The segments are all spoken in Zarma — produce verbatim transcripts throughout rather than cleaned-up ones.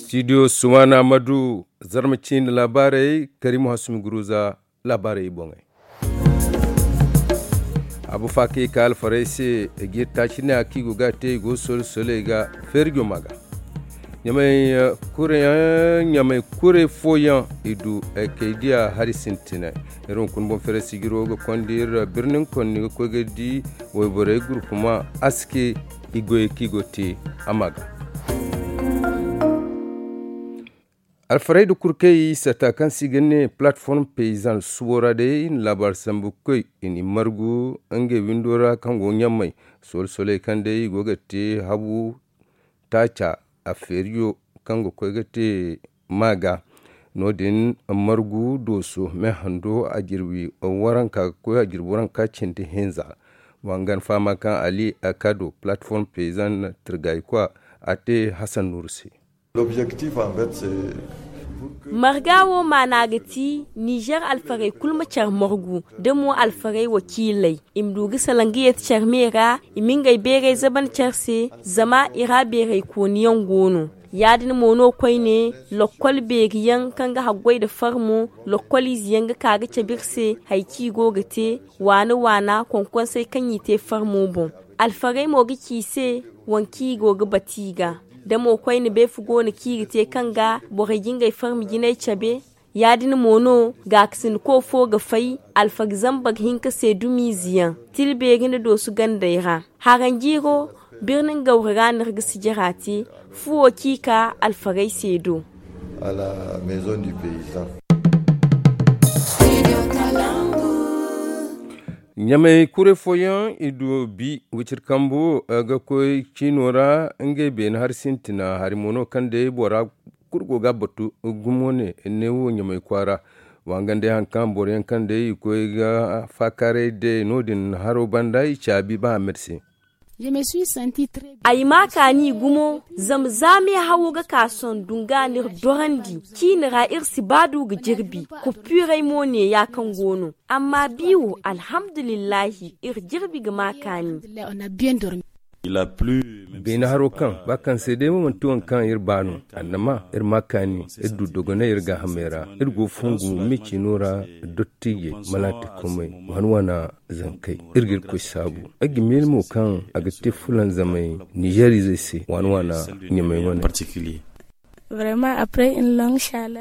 Studio sumana madu, zarma ciine laabaarey, karimu hasumi guruza. Laabaarey i boŋey. Abu faakay ka alfarey se, i ga iri taaci ne a kaŋ i go ga a te, i go sole-soley ga feeri joma ga. Ɲamay kure fooyaŋ i du kay diya hari sintinay. Iri hunkuna boŋ feeray sijiro ga konda iri birnin konni ga koy ga di wayborey gurkuma aske i goyey kaŋ i go ga te a ma ga. Alfarey nda kurkey sata kaŋ se i ga ne palatform peyizan subo ra day i na laabaari sambu ga koy i n'i margu ngey windo ra kaŋ go ɲamay sole-soley kaŋ day i go ga te habu taaca a feeriyo kaŋ ga koy ga te maaga. No- din margu dooso me hando a jirbi waranka ga koy a jirbi waranka cindi hinza. Wa nga ni fahama kaŋ ali a ka do palatform peyizan tirgayikwa a te hasan nuuru se. Marga wo maana ga ti nizer alfarey kulu ma care margu da mo alfarey wakiiley i ma du ga salaŋ ga yeeti care me ra i ma ngey beeray zaban care se. Zama i ra beeraykooniyaŋ go no ya- din mo no koyne lokkol beeriyaŋ kaŋ ga haggoy nda farmo lokkol izeyaŋ ga ka ga cabe iri se hari kaŋ i go ga te waana waana konkonsey kaŋ i te farmo boŋ. Alfarey mo ga ci i se waŋ kaŋ i go ga bati i ga da mo koyne beefe go no kaŋ i ga te kaŋ ga borey ga ngey farmi jinay cabe. Ya- din mo no gaakasindiko fo ga fay alfari zambar hinka se dumiize yaŋ tila beeri nda doosu gandey ra. Haranjiiro birnin gawri ra no iri ga sijira te. Fuwo kaŋ i ka alfarey se do. Ɲamay kuray fooyaŋ i du bi wiciri kambu ga koy ciino ra ngey beene hari sintina hari mo no kaŋ day bora kulu go ga a batu gumo ne ne wo ɲamay kwaara. Wa nga day hari kaŋ boro yaŋ kaŋ day i koy ga faakaaray day no- din haro banda i caabi ba a merse. Ay ma kaani gumo zama za meehawo ga ka sohõ dunga no iri dorandi ciine ra iri si ba du ga jirbi. Kuppiirey mo ne ya kaŋ go no amma bi wo alhamdulillahi iri jirbi ga ma kaani. Beene haro kaŋ ba kaŋ se day mo manti waŋ kaŋ iri ba no. Annama iri ma kaani iri du dogonay iri gaahamey ra. Iri go fongu me ciino ra dottiijey malaatikomey waana waana zankey iri ga irkoy saabu. Ay ga miila mo kaŋ a ga te fulanzamay nizeer izey se waana waana ɲamay wane.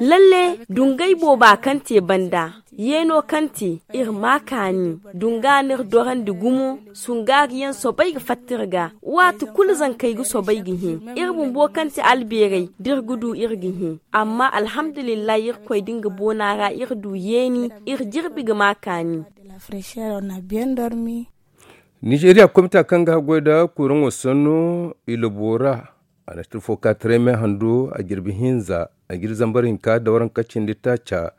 Lalle dungay booba kaŋ te banda yeeno kaŋ te iri ma kaani dunga no iri dorandi gumo. Sungaari yaŋ soobay ga fatta iri ga waati kulu zankey ga soobay ga hẽ iri bumbo kaŋ te albeerey da iri ga du iri ga hẽ. Amma alhamdulillahi irkoy da nga boona ra iri du yeeni iri jirbi ga ma kaani. Nizeeriya komita kaŋ ga haggoy nda kuraŋo sanno i labo ra a na tirfo ka taray me hando a jirbi hinza a ga iri zambar hinka da waranka cindi taaca.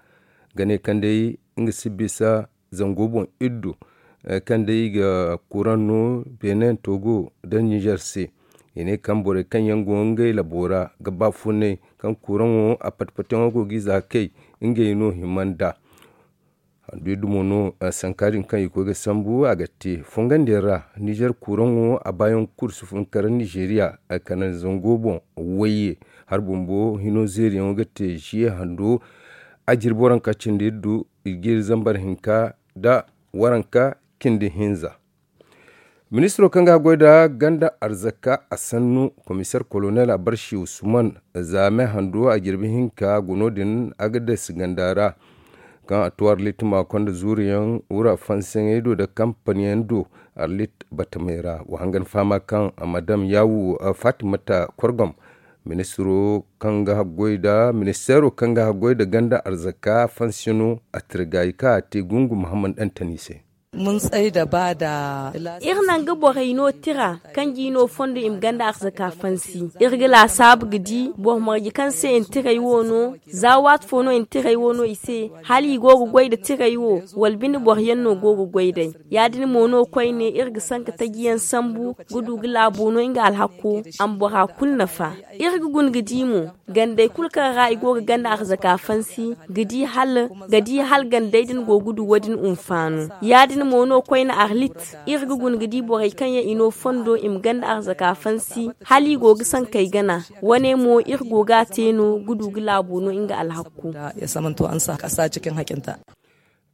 Ga ne kaŋ day nga si bisa zango boŋ iddu kaŋ day i ga kuraŋ no benin togo nda nizer se. I ne kaŋ borey kaŋ yaŋ go ngey labo ra ga baafunay kaŋ kuraŋo a pati-patiyaŋo go ga i za kay ngey no hima nd'a. Handu iddu mo no sanka din kaŋ i koy ga sambu a ga te fongandiyaŋ ra nizer kuraŋo a baayaŋ kulu si fun kara nizeeriya kala zango boŋ wayye. Hari bumbo hino zeeriyaŋo ga te ziye hando a jirbi waranka cindi iddu i ga iri zambar hinka nda waranka cindi hinza. Ministiro kaŋ ga haggoy nda ganda arzaka a sannu komiseer kolonel abarsi usman za me hando a jirbi hinka go no- din agadas ganda ra kaŋ a to arlit maakonda zuuriyaŋ wura fansiyaŋey do nda kampaniyaŋ do arlit batamey ra wa hangan fahama kaŋ madam yaawu fatimata korgom ministiro kaŋ ga haggoy nda ministeero kaŋ ga haggoy nda ganda arzaka fansiyano a tirgaayi kaŋ a te gungu muhammad dantani se. Iri naŋ ga borey no tira kanji no fondo i ma ganda arzaka fansi. Iri ga laasaabu ga di boro marje kaŋ se i na tiray wo no za waati fo no i na tiray wo no i se hala i go ga goy nda tiray wo wala bine boro yaŋ no go ga goy day. Ya- din mo no koyne iri ga sanka taji yaŋ sambu ga du ga laabo no nga alhakko a ma bora kulu nafa. Iri ga guna ga di mo gandey kulu kaŋ ra i go ga ganda arzaka fansi ga di hala gandey din go ga du wo- din hunfaano. Ya- din Mo no koyne arlit, iri ga guna ga di borey kaŋ yaŋ i no fondo i ma ganda arzaka fansi, hala i go ga sankey gana. Wane mo iri go ga a te no ga du ga laabo no nga alhakku.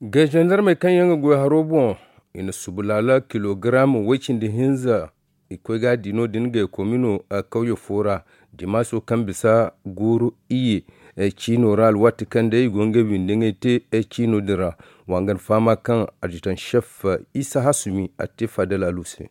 Ga zandarmey kaŋ yaŋ ga goy haro boŋ, i na subu laala kilogaram way-cindi hinza. I koy ga a di no-din ga komino kawye fo ra, dimaaso kaŋ bisa guuru iyye ciino ra alwaati kaŋ day i go ngey windi ngey te ciino din ra. Wa nga ni fahama kaŋ adjutan chef isa hasumi a te fadal alu se.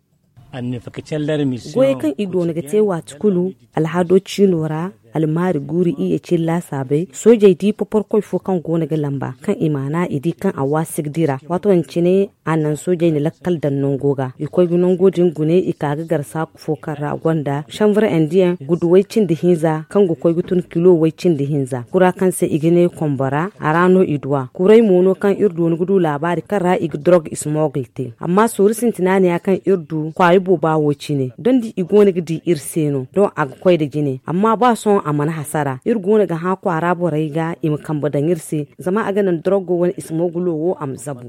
Goyey kaŋ i doona ga te waati kulu, alhado ciino ra, almaari guuru iyye cine laasaabey, soojey di poporkoy fo kaŋ go no ga lamba kaŋ i maana i di kaŋ a waasi ga dira. Waato din cine a naŋ soojey na lakkal daŋ nango ga, i koy ga nango din gune, i ka ga gar saaku fo kaŋ ra gonda sanvre indiyaŋ gudu way-cindi hinza kaŋ ga koy ga tun kilo way-cindi hinza kura kaŋ se i ga ne kombora, a ra no i duw'a. Kuray mo no kaŋ iri doona ga du laabaari kaŋ ra i ga dorog ismogl te. Amma sooru sintina ne ya kaŋ iri du kwaayi booba wo cine dondi i go no ga di iri se no doŋ a ga koy nda jine. Amma ba sohõ a mana hasara, iri go no ga hã kwaara borey ga i ma kambe daŋ iri se, zama a ga naŋ dorogo wane ismogulo wo a ma zabu.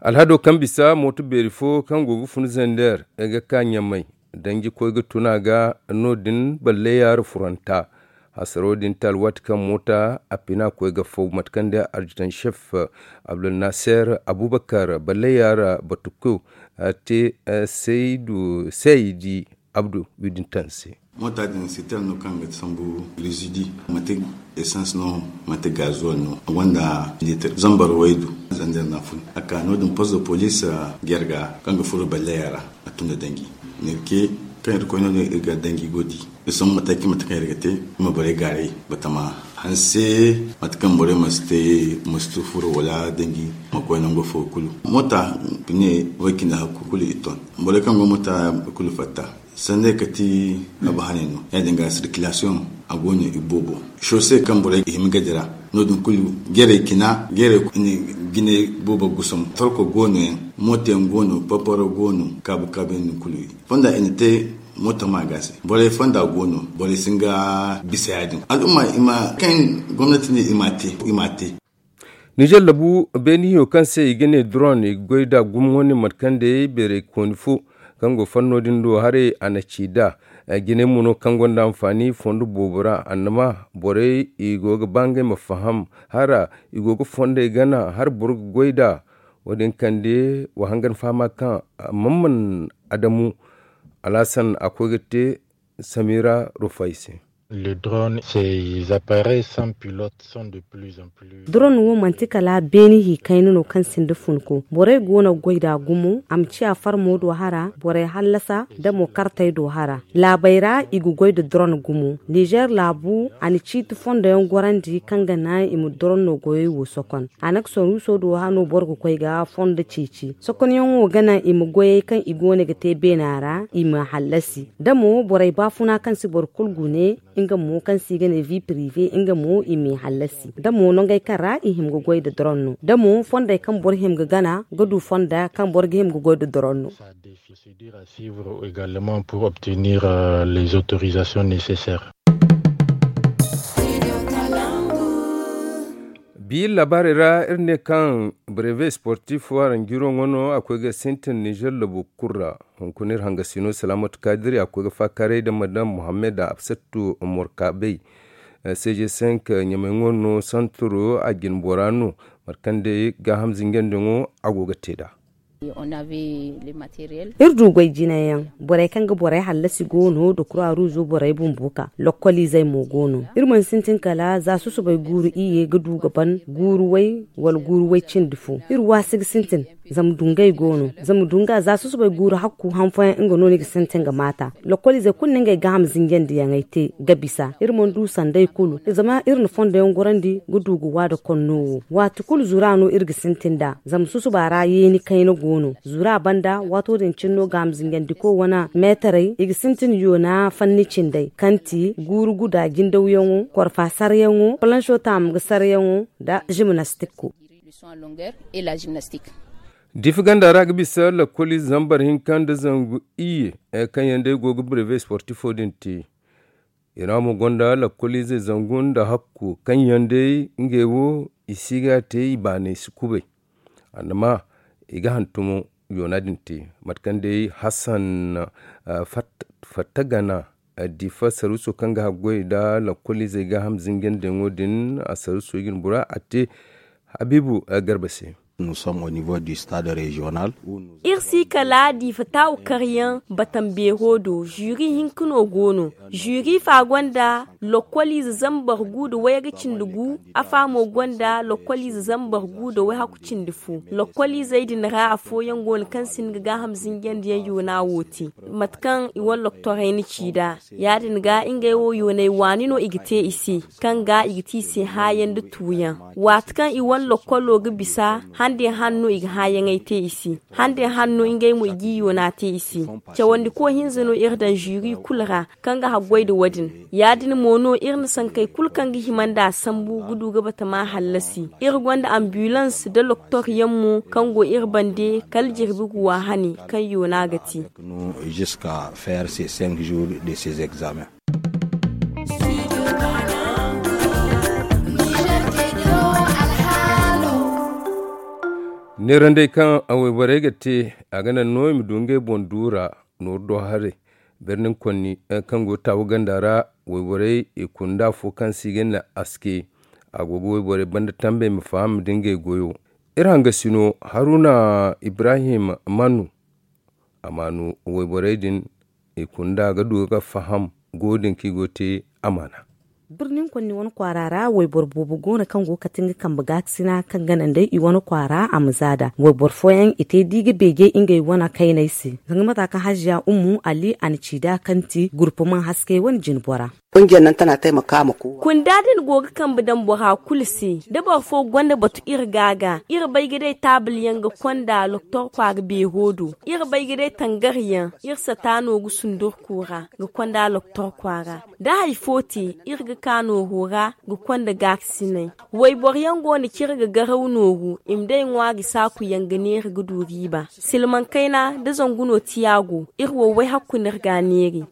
Alhado kaŋ bisa mooto beeri fo kaŋ go ga fun zander ga ka ɲamay, danji koy ga tun a ga. No- din balle yaara furanta hasaro din te alwaati kaŋ moota a pina koy ga faw mate kaŋ day arjutan chef abdulnaser abubakar balle yaara batuko te saydu saydi abdu widin taŋ se. Moota din sitar no kaŋ ga sambu rizidi manti esans no manti gazuwal no a gonda litir zambar waydu. Zander na fun a ka no- din post de police jarga kaŋ ga furo balle yaara a tun da danji. Nirke kaŋ iri koy no- din iri ga danji go di iri sambu mataki mate kaŋ iri ga te iri ma borey gaaray batama hanse mate kaŋ borey ma si te ma si tu furo wala danji ma koy nango fo kulu. Moota ne way cindi hakku kulu i ton borey kaŋ go moota kulu fatta. Sanday kati a ba hanay no ya- din ga sirkilasiyoŋ a go no i boobo sose kaŋ borey ga hima gadi ra. No- din kulu jeeray cina jeeray jinay boobo gusom torko go no yaŋ mooto yaŋ go no paparo go no kaabu kaabu yaŋ din kulu. Fonda i na te mooto ma ga se borey fonda go no borey si nga bisa ya- din al'umma i ma kaŋ gomnati ne i ma te i ma te. Nizer labu beeni hiyo kaŋ se i ga ne dron i ga goy nd'a gumo wane mate kaŋ day beeray kooni fo kaŋ go fanno din do haray a na ci nd'a. Jinay mo no kaŋ gonda anfaani fondo boobo ra annama borey i go ga ba ngey ma faham hara i go ga fondey gana hala boro ga goy nd'a. Wo- din kande wa hangan fahama kaŋ mamman adamu alhasan a koy ga te samira rufay se. Le drone ces appareils sans pilote sont de plus en plus. Drone wo manti kala beeni hi kayna no kaŋ sinda funko borey go no ga goy nd'a gumo a ma ciya farmo do hara borey hallasa da mo kartey do hara. Laabey ra i ga goy nda drone gumo nizer laabu a na ciiti fondo yaŋ gorandi kaŋ ga naŋ i ma drone no goyey wo sokon. A na ga soruuso do hano boro ga koy ga fondo ceeci sokonyaŋo ga naŋ i ma goyey kaŋ i go no ga te beena ra i ma hallasi da mo borey baafuna kaŋ si boro kulu gune. Nga mo kaŋ se i ga ne vi prive nga mo i m'i hallasi da mo nongey kaŋ ra i hima ga goy nda doron no da mo fondey kaŋ boro hima ga gana ga du fonda kaŋ boro ga hima ga goy nda doron no. Procédure à suivre également pour obtenir les autorisations nécessaires. Bi labaarey ra iri ne kaŋ breve sportif waranjiro ŋwa no a koy ga sintin nizer labo kulu ra. Hunkuna iri hangasino salaamatu kaadiri a koy ga faakaaray nda madam muhammad absattu morkabey. Seeje senk ɲamay ŋwa no santuro a jine bora no mate kaŋ day gaaham zinjandiyaŋo a go ga te nd'a. Iri du goy jinayaŋ borey kaŋ ga borey hallasi go no nda kura ruuzo borey bumbo ka lokkoliizey mo go no. Iri mana sintin kala za susubay guuru iyye ga du ga ban guuru way wala guuru way cindi fo iri waasi ga sintin. Zama dungay go no zama dunga za susubay guuru hakku han fooyaŋ nga no ni ga sintin ga maata. Lokkoliizey kulu na ngey gaaham zinjandiyaŋey te ga bisa iri mana du sanday kulu zama iri na fondoyaŋ gorandi ga du ga waada konno wo. Waati kulu zura no iri ga sintin nd'a zama susuba ra yeeni kayna go no zura banda waato din cine no gaaham zinjandiko wane meetarey i ga sintin yoona fanni cindey kaŋ ti guuru guda jindawyaŋo korfa saryaŋo palanso taamu ga saryaŋo nda jimnastikko. Difi ganda ra ga bisa lakkoliize zambar hinka nda zangu iyye kaŋ yaŋ day go ga breve sportifo din te. I ra mo gonda lakkoliizey zangu nda hakku kaŋ yaŋ day ngey wo i si ga te i baanay si kubay. Annama i ga hantumo yoona din te. Mate kaŋ day hasan fatta gana difa saruuso kaŋ ga haggoy nda lakkoliizey gaaham zinjandiyaŋo din a saruuso i ga ni bora a te habiibu garba se. Iri si kala diifa taawu karyaŋ batam beero do. Zuri hinka no go no. Zuri fa gonda lokkoliize zambar gu nda wayra cindi gu. Afa mo gonda lokkoliize zambar gu nda wayhaku cindi fo. Lokkoliizey din ra afooyaŋ go no kaŋ si hin ga gaaham zinjandiyaŋ yoona wo te. Mate kaŋ i wane loktorey na ci nd'a ya- din ga ngey wo yoonay waani no i ga te i se, kaŋ ga i ga te i se hãayaŋ nda tuuyaŋ. Waati kaŋ i wane lokkolo ga bisa, hande han no i ga hãayaŋey te i se. Hande han no ngey mo i g'i yoona te i se. Cawandiko hinza no iri daŋ zuri kulu ra kaŋ ga haggoy nda wo- din. Ya- din mo no iri na sankey kulu kaŋ ga hima nd'a sambu ga du ga batama hallasi. Iri gonda ambulans nda loktoryaŋ mo kaŋ go iri bande kala jirbi guwa hane kaŋ yoona ga te. Neerandey kaŋ wayborey ga te, a ga naŋ no i ma du ngey boŋ duura nooru do haray. Birnin konni kaŋ go taawu ganda ra, wayborey i kunda fo kaŋ se i ga ne aske. A go ga wayborey banda tambey ma faham nda ngey goyo. Iri hangasino haruna ibrahim manu a ma no wayborey din i kunda ga du ga faham go din kaŋ i go te amaana. Birnin konni wane kwaara ra wayboro boobo go no kaŋ go ga kate nga kambe gaakasina kaŋ ga naŋ day i wane kwaara a ma za nd'a. Wayboro fooyaŋ i te di ga beeje ngey wane kayney se. Zanga mata kaŋ haziya ummu ali a na ci nd'a kaŋ ti gurpumaŋ haskey wane jinbora. Kunda din go ga kambe daŋ bora kulu se. Da boro fo gonda batu iri ga ga iri bay ga day taabalyaŋ ga konda loktor kwaara beero do. Iri bay ga day tangaryaŋ iri sata no ga sundurku ra ga konda loktor kwaara. Da hari fo te iri ga ka nooru ra ga konda gaakasinay. Wayboro yaŋ go no kaŋ iri ga garaw nooru i ma day ŋwaari saaku yaŋ ga neera ga du riiba. Silmaŋ kayna da zangu no tiya go iri wo wayhakku no iri ga a neeri.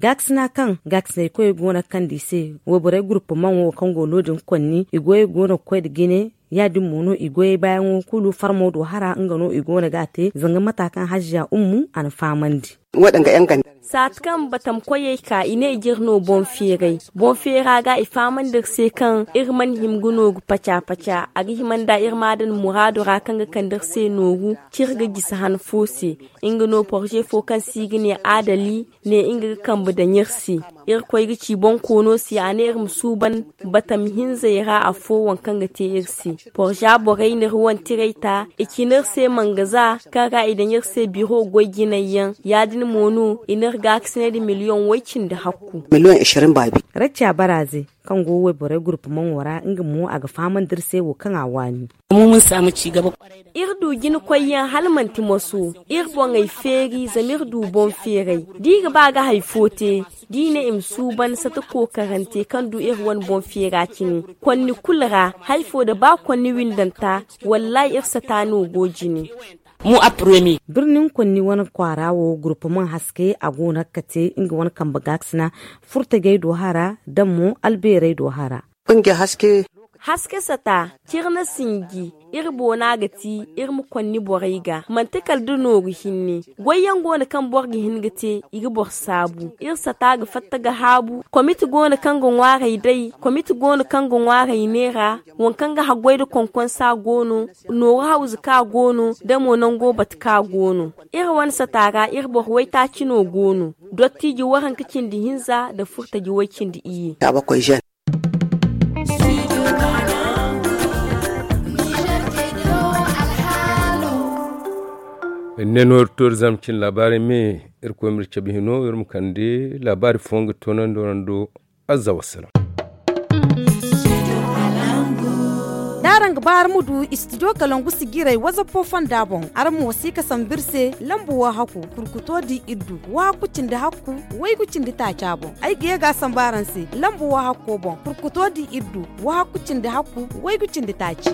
Gaakasina kaŋ gaakasinay koyey go no ga kande i se wayborey gurpumaŋo kaŋ go no- din konni i goyey go no ga koy nda jine. Ya- din mo no i goyey baayaŋo kulu farmo do hara nga no i go no ga a te zanga mata kaŋ haziya ummu a na fahamandi. Saati kaŋ batam koyey ka i ne i jire no boŋ feeray. Boŋ feera ga i fahamandi iri se kaŋ iri mana hima ga nooru paca paca a ga hima nda iri ma a daŋ muraadu ra kaŋ ga kande iri se nooru kaŋ iri ga gisi han fo se. Nga no porze fo kaŋ se i ga ne adali ne nga ga kambe daŋ iri se. Iri koy ga ci boŋ koono se a ne iri ma suuban batam hinzey ra afo waŋ kaŋ ga te iri se. Porza borey na iri wane tiray ta i cina iri se mangaza kaŋ ra i daŋ iri se biro goy jinay yaŋ. Ya- din mo no i na iri gaakasinay nda miliyoŋ way- cindi hakku. Racca baraze kaŋ go wayborey gurpumaŋo ra nga mo a ga fahamandi iri se wo kaŋ a waani. Iri du jina koyyaŋ hala manti moso. Iri boŋey feeri zama iri du boŋ feeray da i ga ba ga hari fo te da i ne i ma suuban sata kookarante kaŋ du iri wane boŋ feera cine. Konni kulu ra hari fo da ba konni windanta wallahi iri sata no go jine. Birnin konni wane kwaara wo gurpumaŋ haske a go no ga kate nga wane kambe gaakasina furtajey do hara da mo albeerey do hara. Haske sata ciri na sinji iri boona ga ti iri ma konni borey ga manti kala da nooru hinne. Goyyaŋ go no kaŋ boro ga hin ga te i ga boro saabu iri sata ga fatta ga haabu komiti go no kaŋ ga ŋwaarey day komiti go no kaŋ ga ŋwaarey neera. Waŋ kaŋ ga haggoy nda konkonsa go no nooru hawzu ka go no da mo nango batu ka go no. Iri wane sata ra iri boro waytaaci no go no. Dottiiji waranka cindi hinza nda furtaji way cindi iyye. Iri ne no iri to iri zama cine laabaarey me iri koy ma iri cabe hino iri ma kande laabaari fooyaŋ ga toonandi waraŋ do. Azza wassalam. Da araŋ ga ba araŋ ma du istidiyo kalangu sijiray wazapo fonda boŋ araŋ ma wasiika sambu iri se lambu wahakku kurkuto di iddu wahakku cindi hakku waygu cindi taaca boŋ. Ay ga ye ga a sambu araŋ se lambu wahakko boŋ kurkuto di iddu wahakku cindi hakku waygu cindi taaci.